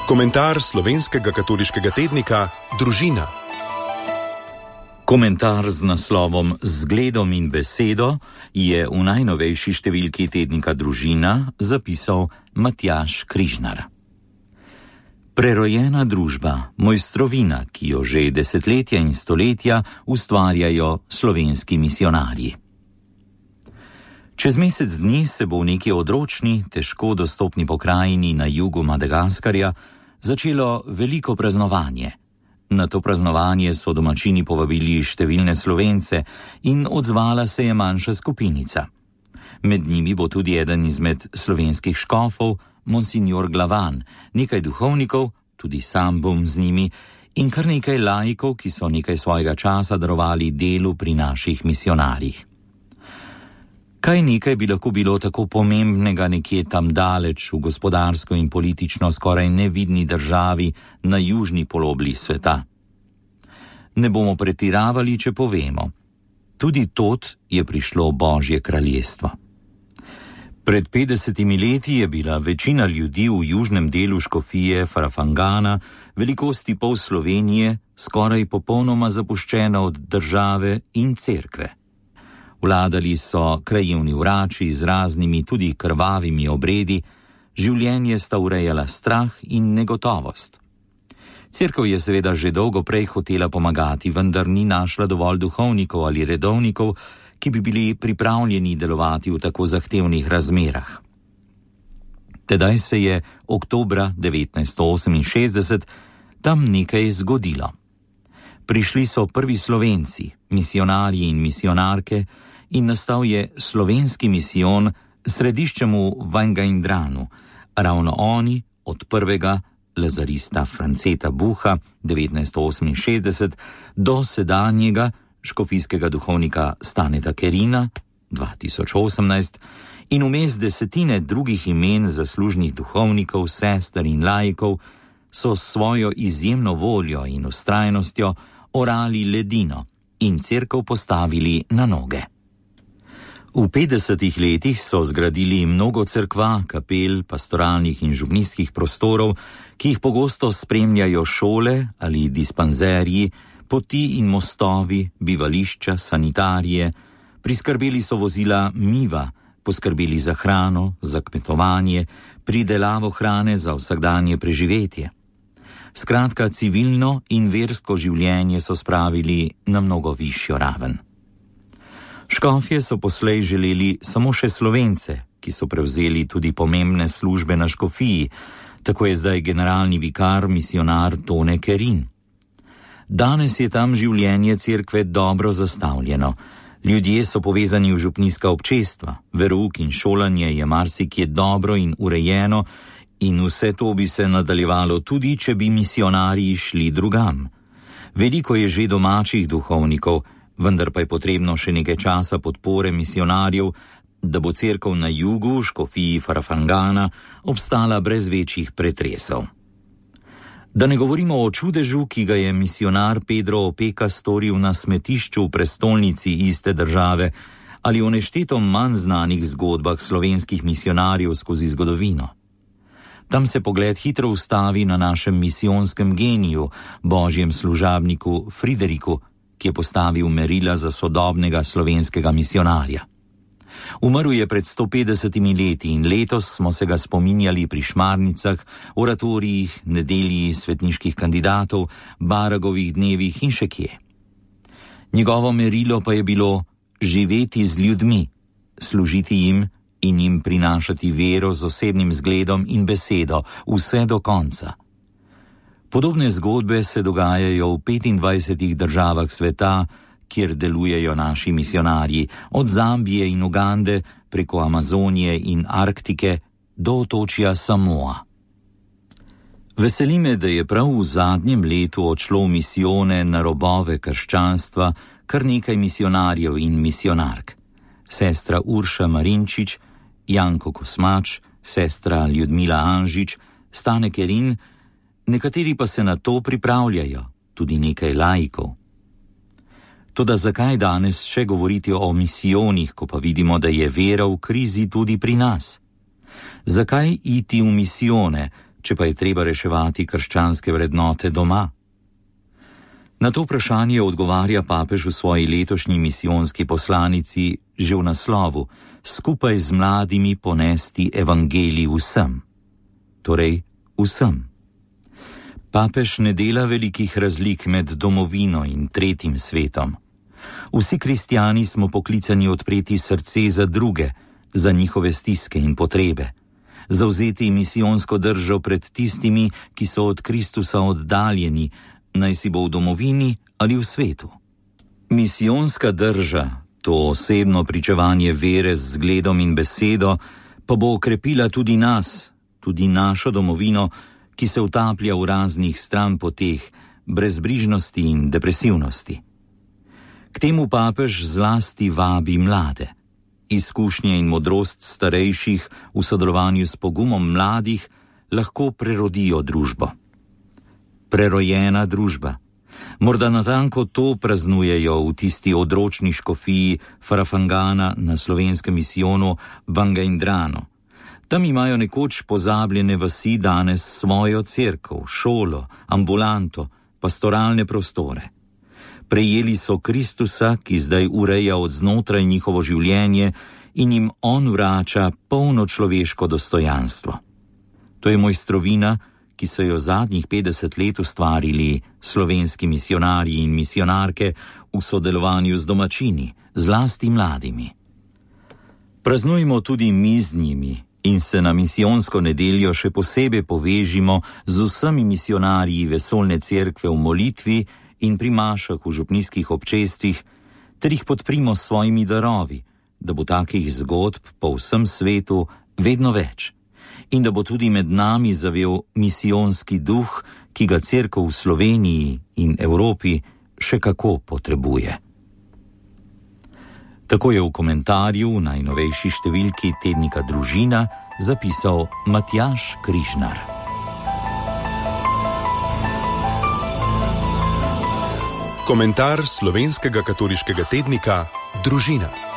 Komentar slovenskega katoliškega tednika Družina. Komentar z naslovom Zgledom in besedo je v najnovejši številki tednika Družina zapisal Matjaž Križnar. Prerojena družba, mojstrovina, ki jo že desetletja in stoletja ustvarjajo slovenski misionarji. Čez mesec dni se bo v neki odročni, težko dostopni pokrajini na jugu Madagaskarja začelo veliko praznovanje. Na to praznovanje so domačini povabili številne Slovence in odzvala se je manjša skupinica. Med njimi bo tudi eden izmed slovenskih škofov, monsignor Glavan, nekaj duhovnikov, tudi sam bom z njimi, in kar nekaj laikov, ki so nekaj svojega časa darovali delu pri naših misionarjih. Kaj nekaj bi lahko bilo tako pomembnega nekje tam daleč v gospodarsko in politično skoraj nevidni državi na južni polobli sveta? Ne bomo pretiravali, če povemo. Tudi tod je prišlo Božje kraljestvo. Pred 50 leti je bila večina ljudi v južnem delu škofije Farafangana, velikosti pol Slovenije, skoraj popolnoma zapuščena od države in cerkve. Vladali so krajevni vrači z raznimi tudi krvavimi obredi, življenje sta urejala strah in negotovost. Cerkev je seveda že dolgo prej hotela pomagati, vendar ni našla dovolj duhovnikov ali redovnikov, ki bi bili pripravljeni delovati v tako zahtevnih razmerah. Tedaj se je oktobra 1968 tam nekaj zgodilo. Prišli so prvi Slovenci, misionarji in misionarke, in nastal je slovenski misijon središčem v Vangaindranu. Ravno oni, od prvega lazarista Franceta Buha 1968 do sedanjega škofijskega duhovnika Staneta Kerina 2018 in vmes desetine drugih imen zaslužnih duhovnikov, sester in laikov, so s svojo izjemno voljo in vztrajnostjo orali ledino in cerkev postavili na noge. V 50 letih so zgradili mnogo cerkva, kapel, pastoralnih in župnijskih prostorov, ki jih pogosto spremljajo šole ali dispanzerji, poti in mostovi, bivališča, sanitarije, priskrbeli so vozila Miva, poskrbeli za hrano, za kmetovanje, pridelavo hrane za vsakdanje preživetje. Skratka, civilno in versko življenje so spravili na mnogo višjo raven. Škofje so poslej želeli samo še Slovence, ki so prevzeli tudi pomembne službe na škofiji, tako je zdaj generalni vikar misionar Tone Kerin. Danes je tam življenje cerkve dobro zastavljeno. Ljudje so povezani v župnijska občestva, verouk in šolanje je marsikje dobro in urejeno in vse to bi se nadaljevalo tudi, če bi misionarji šli drugam. Veliko je že domačih duhovnikov, vendar pa je potrebno še nekaj časa podpore misionarjev, da bo cerkev na jugu, škofiji Farafangana, obstala brez večjih pretresov. Da ne govorimo o čudežu, ki ga je misionar Pedro Opeka storil na smetišču v prestolnici iste države, ali o nešteto manj znanih zgodbah slovenskih misionarjev skozi zgodovino. Tam se pogled hitro ustavi na našem misijonskem geniju, božjem služabniku Frideriku, ki je postavil merila za sodobnega slovenskega misionarja. Umrl je pred 150 leti in letos smo se ga spominjali pri šmarnicah, oratorijih, nedelji svetniških kandidatov, Baragovih dnevih in še kje. Njegovo merilo pa je bilo živeti z ljudmi, služiti jim in jim prinašati vero z osebnim zgledom in besedo vse do konca. Podobne zgodbe se dogajajo v 25 državah sveta, kjer delujejo naši misionarji, od Zambije in Ugande preko Amazonije in Arktike do otočja Samoa. Veseli me, da je prav v zadnjem letu odšlo v misijone na robove krščanstva kar nekaj misionarjev in misionark. Sestra Urša Marinčič, Janko Kosmač, sestra Ljudmila Anžič, Stane Kerin, nekateri pa se na to pripravljajo, tudi nekaj laikov. Toda zakaj danes še govoriti o misijonih, ko pa vidimo, da je vera v krizi tudi pri nas? Zakaj iti v misijone, če pa je treba reševati krščanske vrednote doma? Na to vprašanje odgovarja papež v svoji letošnji misijonski poslanici že v naslovu: skupaj z mladimi ponesti evangelij vsem. Torej vsem. Papež ne dela velikih razlik med domovino in tretjim svetom. Vsi kristjani smo poklicani odpreti srce za druge, za njihove stiske in potrebe, zavzeti misijonsko držo pred tistimi, ki so od Kristusa oddaljeni, naj si bo v domovini ali v svetu. Misijonska drža, to osebno pričevanje vere z zgledom in besedo, pa bo okrepila tudi nas, tudi našo domovino, ki se utaplja v raznih stranpoteh, brezbrižnosti in depresivnosti. K temu papež zlasti vabi mlade. Izkušnje in modrost starejših v sodelovanju s pogumom mladih lahko prerodijo družbo. Prerojena družba. Morda natanko to praznujejo v tisti odročni škofiji Farafangana na slovenskem misijonu Bangaindrano. Tam imajo nekoč pozabljene vasi danes svojo cerkev, šolo, ambulanto, pastoralne prostore. Prejeli so Kristusa, ki zdaj ureja od znotraj njihovo življenje in jim on vrača polno človeško dostojanstvo. To je mojstrovina, ki so jo zadnjih 50 let ustvarili slovenski misionarji in misionarke v sodelovanju z domačini, zlasti mladimi. Praznujmo tudi mi z njimi in se na misijonsko nedeljo še posebej povežimo z vsemi misionarji vesoljne cerkve v molitvi in pri mašah v župnijskih občestvih, ter jih podprimo s svojimi darovi, da bo takih zgodb po vsem svetu vedno več in da bo tudi med nami zavel misijonski duh, ki ga cerkev v Sloveniji in Evropi še kako potrebuje. Tako je v komentarju v najnovejši številki tednika Družina zapisal Matjaž Križnar. Komentar slovenskega katoliškega tednika Družina.